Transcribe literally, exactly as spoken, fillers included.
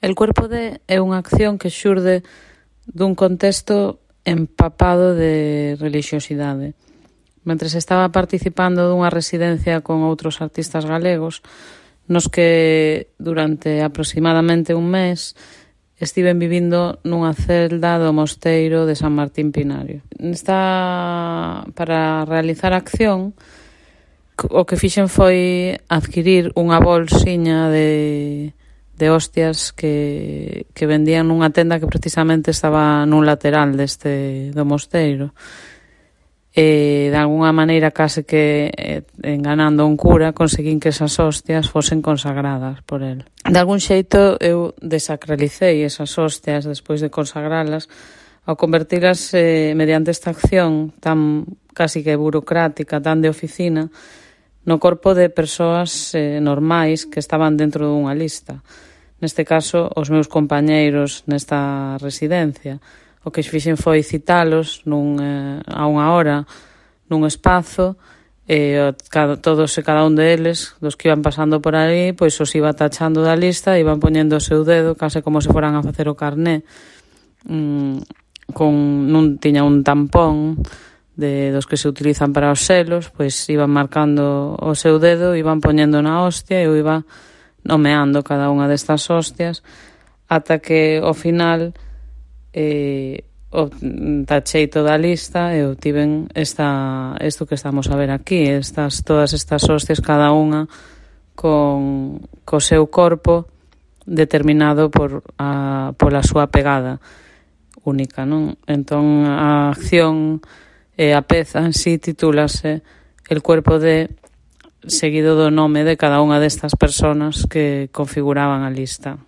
El cuerpo de é unha acción que xurde dun contexto empapado de relixiosidade. Mentres estaba participando dunha residencia con outros artistas galegos, nos que durante aproximadamente un mes estiven vivindo nunha celda do mosteiro de San Martín Pinario. Nesta, para realizar a acción, o que fixen foi adquirir unha bolsiña de, de hostias que, que vendían nunha tenda que precisamente estaba nun lateral deste do mosteiro. E, de alguna maneira, case que eh, enganando un cura, conseguín que esas hostias fosen consagradas por el. De algún xeito, eu desacralicei esas hostias despois de consagralas ao convertilas eh, mediante esta acción tan casi que burocrática, tan de oficina, no corpo de persoas eh, normais que estaban dentro dunha lista. Neste caso, os meus compañeiros nesta residencia. O que fixen foi citalos nun, eh, a unha hora nun espazo e cada, todos e cada un deles, dos que iban pasando por aí, pois os iba tachando da lista e iban poñendo o seu dedo, case como se foran a facer o carné. Mm, con, nun tiña un tampón de dos que se utilizan para os selos, pois iban marcando o seu dedo, iban poñendo na hostia e eu iba nomeando cada unha destas hostias ata que ao final eh, o tachei toda a lista e obtiven esta, isto que estamos a ver aquí, estas, todas estas hostias, cada unha con co seu corpo determinado por a, pola súa pegada única, non? Entón a acción e a peza en sí titúlase El cuerpo de, seguido do nome de cada unha destas personas que configuraban a lista.